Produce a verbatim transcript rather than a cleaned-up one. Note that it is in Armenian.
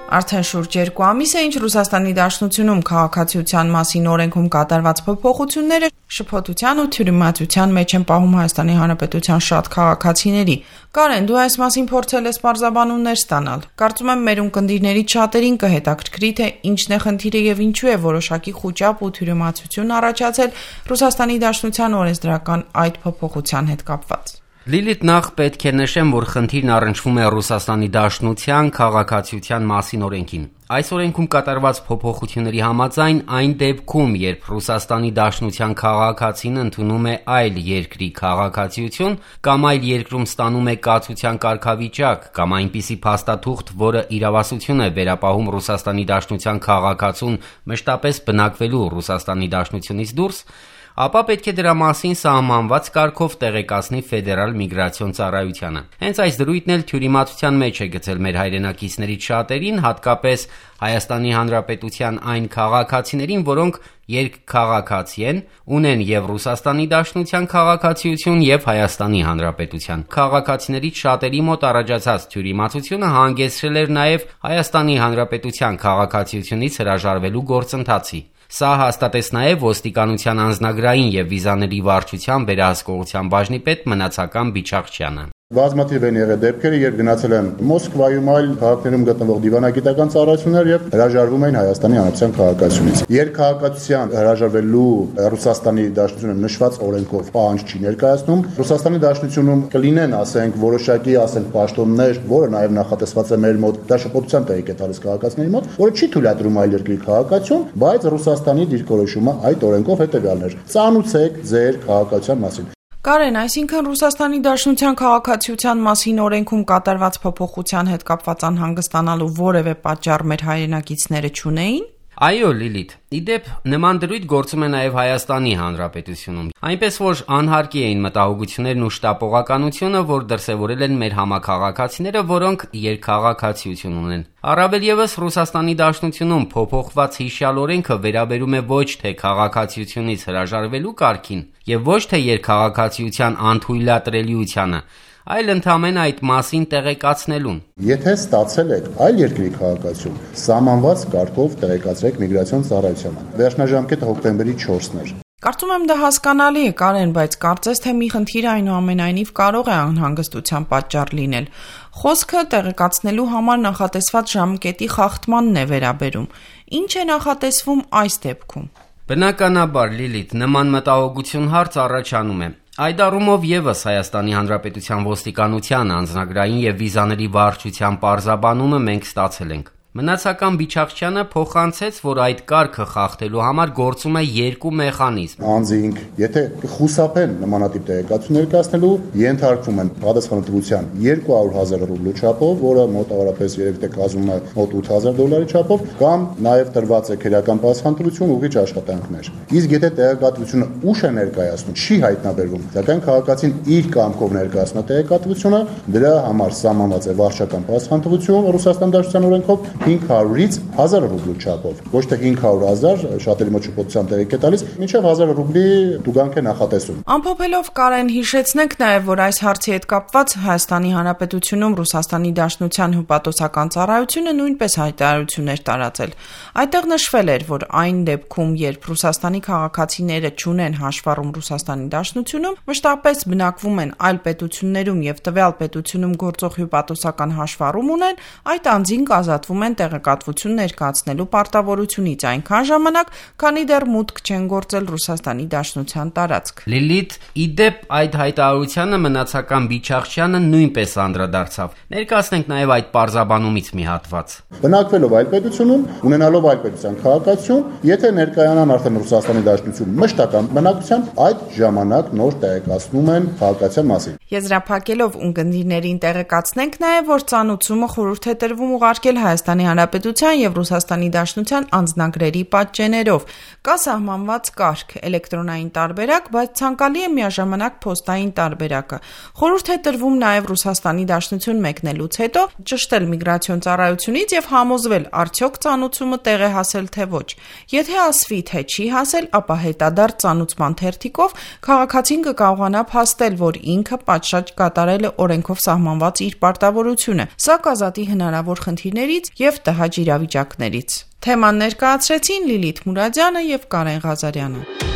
Արդեն շուրջ երկու ամիս է, ինչ Ռուսաստանի Դաշնությունում քաղաքացիության մասին օրենքում կատարված փոփոխությունները շփոթության ու թյուրիմացության մեջ են պահում Հայաստանի Հանրապետության շատ քաղաքացիների։ Կարեն, դու այս մասին փորձել ես պարզաբանումներ ստանալ։ Կարծում եմ, մեր ունկնդիրներից շատերին կհետաքրքրի, թե ինչն է խնդիրը եւ ինչու է որոշակի խուճապ ու թյուրիմացություն առաջացել Ռուսաստանի Դաշնության օրենսդրական այդ փոփոխության հետ կապված։ Լիլիթ, նախ պետք է նշեմ, որ խնդիրն առնչվում է Ռուսաստանի Դաշնության քաղաքացիության մասին օրենքին։ Այս օրենքում կատարված փոփոխությունների համաձայն այն դեպքում, երբ Ռուսաստանի Դաշնության քաղաքացին ընդունում է այլ երկրի քաղաքացիություն կամ այլ երկրում ստանում է կացության կարգավիճակ կամ այնպիսի փաստաթուղթ, որը իրավասություն է վերապահում Ռուսաստանի Դաշնության քաղաքացուն մշտապես բնակվելու Ռուսաստանի Դաշնությունից դուրս, ապա պետք է դրա մասին սահմանված կարգով տեղեկացնի Ֆեդերալ միգրացիոն ծառայությանը։ Հենց այս դրույթն էլ թյուրիմացության մեջ է գցել մեր հայրենակիցներից շատերին, հատկապես Հայաստանի Հանրապետության այն քաղաքացիներին, որոնք երկքաղաքացի են, ունեն եւ Ռուսաստանի Դաշնության քաղաքացիություն եւ Հայաստանի Հանրապետության։ Քաղաքացիներից շատերի մոտ առաջացած թյուրիմացությունը հանգեցրել էր նաեւ Հայաստանի Հանրապետության քաղաքացիությունից հրաժարվելու գործընթացի։ Սա հաստատեց նաև ոստիկանության անձնագրային եւ վիզաների վարչության վերահսկողության բաժնի պետ Մնացական Բիչախչյանը։ Բազմաթիվ են եղել դեպքեր, երբ գնացել են Մոսկվայում, այլ քաղաքներում գտնվող դիվանագիտական ծառայություններ եւ հրաժարվում էին Հայաստանի Հանրապետության քաղաքացիությունից։ Երկքաղաքացիության հրաժարվելու Ռուսաստանի Դաշնությունը նշված օրենքով պահանջ չի ներկայացնում։ Ռուսաստանի Դաշնությունում կլինեն, ասենք, որոշակի, ասենք, պաշտոններ, որը նաեւ նախատեսված է մեր մոտ, դա շփոթության տեղիք է տալիս քաղաքացիների մոտ, որը չի թույլատրում այլ երկրի քաղաքացիություն, բայց Ռուսաստանի դիրքորոշումը այդ օրենքով հետեւյալն էր. ծանուցեք ձեր քաղաքացիության մասին։ Կարեն, այսինքն Ռուսաստանի Դաշնության քաղաքացիության մասին օրենքում կատարված փոփոխության հետ կապված անհանգստանալու որևէ պատճառ մեր հայրենակիցները չունեին։ Այո, Լիլիթ, իդեպ նման դրույթ գործում է նաև Հայաստանի Հանրապետությունում, այնպես որ անհարկի էին մտահոգություններն ու շտապողականությունը, որ դրսևորել են մեր համաքաղաքացիները, որոնք երկքաղաքացիություն ունեն։ Առավել ևս Ռուսաստանի Դաշնությունում փոփոխված հիշյալ օրենքը վերաբերում է ոչ թե քաղաքացիությունից հրաժարվելու կարգին եւ ոչ թե երկքաղաքացիության անթույլատրելիությանը, այլ ընդամենը այդ մասին տեղեկացնելուն։ Եթե ստացել եք այլ երկրի քաղաքացիություն, սահմանված կարգով տեղեկացրեք միգրացիոն ծառայությանը։ Վերջնաժամկետը հոկտեմբերի չորսն էր։ Կարծում եմ դա հասկանալի է, Կարեն, բայց կարծես թե մի խնդիր այնուամենայնիվ կարող է անհանգստության պատճառ լինել։ Խոսքը տեղեկացնելու համար նախատեսված ժամկետի խախտմանն է վերաբերում։ Ինչ է նախատեսվում այս դեպքում։ Բնականաբար, Լիլիթ, նման մտահոգություն հարց առաջանում է։ Այդ առումով ևս Հայաստանի Հանրապետության ոստիկանության անձնագրային եւ վիզաների վարչության պարզաբանումը մենք ստացել ենք։ Մնացական Բիչախչյանը փոխանցեց, որ այդ կարգը խախտելու համար գործում է երկու մեխանիզմ։ Անձինք, եթե խուսափեն նմանատիպ տեղեկատվություն ներկայացնելու, ենթարկվում են պատասխանատվության երկու հարյուր հազար ռուբլու չափով, որը մոտավորապես երևի թե կազմում է մոտ ութ հազար դոլարի չափով, կամ նաև տրված է քերական պատասխանատվություն ուղիղ աշխատանքներ։ Իսկ եթե տեղեկատվությունը ուշ է ներկայացնում, չի հայտնաբերվում, սակայն քաղաքացին իր կամքով ներկայացնում է տեղեկատվությունը, դրա համար սահմանված է վարչական պատասխանատվություն Ռուսաստանի Դաշնության օրենքով հինգ հարյուրից հազար ռուբլու չափով, ոչ թե հինգ հարյուր հազար, շատերի մոտ շփոթության տեղիք է տալիս, մինչև հազար ռուբլի տուգանք է նախատեսում։ Ամփոփելով, Կարեն, հիշեցնենք նաև, որ այս հարցի հետ կապված Հայաստանի Հանրապետությունում Ռուսաստանի Դաշնության հյուպատոսական ծառայությունը նույնպես հայտարարություններ տարածել։ Այդտեղ նշվել էր, որ այն դեպքում, երբ Ռուսաստանի քաղաքացիները չունեն հաշվառում Ռուսաստանի Դաշնությունում, մշտապես բնակվում են այլ պետություններում եւ տվյալ պետությունում գործող հյուպատոսական հաշվառում ունեն, այդ անձին կազատվում են տեղեկատվություն ներկայացնելու պարտավորությունից այնքան ժամանակ, քանի դեռ մուտք չեն գործել Ռուսաստանի Դաշնության տարածք։ Լիլիթ, իդեպ այդ հայտարարությանը Մնացական Բիչախչյանը նույնպես անդրադարձավ։ Ներկայացնենք նաև այդ պարզաբանումից մի հատված։ Բնակվելով այլ պետությունում, ունենալով այլ պետության քաղաքացիություն, եթե ներկայանան արդեն Ռուսաստանի Դաշնությունում մշտական բնակությամբ, այդ ժամանակ նոր տեղեկացնում են քաղաքացիության մասին։ Եզրափակելով ունկնդիրներին տեղեկացնենք նաև, որ ծանուցումը խորհուրդ է տրվում ուղարկել Հայաստանի Հանրապետության եւ Ռուսաստանի Դաշնության անձնագրերի պատճեններով։ Կա սահմանված կարգ, էլեկտրոնային տարբերակ, բայց ցանկալի է միաժամանակ փոստային տարբերակը։ Խորհուրդ է տրվում նաև Ռուսաստանի Դաշնություն մեկնելուց հետո ճշտել միգրացիոն ծառայությունից եւ համոզվել, արդյոք ծանուցումը տեղ է հասել թե ոչ։ Եթե ասվի, թե չի հասել, ապա հետադարձ ծանուցման թերթիկով քաղաքացին կկարողանա փաստել, որ ինքը պատշաճ կատարել է օրենքով սահմանված իր պարտավորությունը։ Սա կազատի հնարավոր խնդիրներից եւ եւ տհաճ իրավիճակներից։ Թեման ներկայացրեցին Լիլիթ Մուրադյանը եւ Կարեն Ղազարյանը։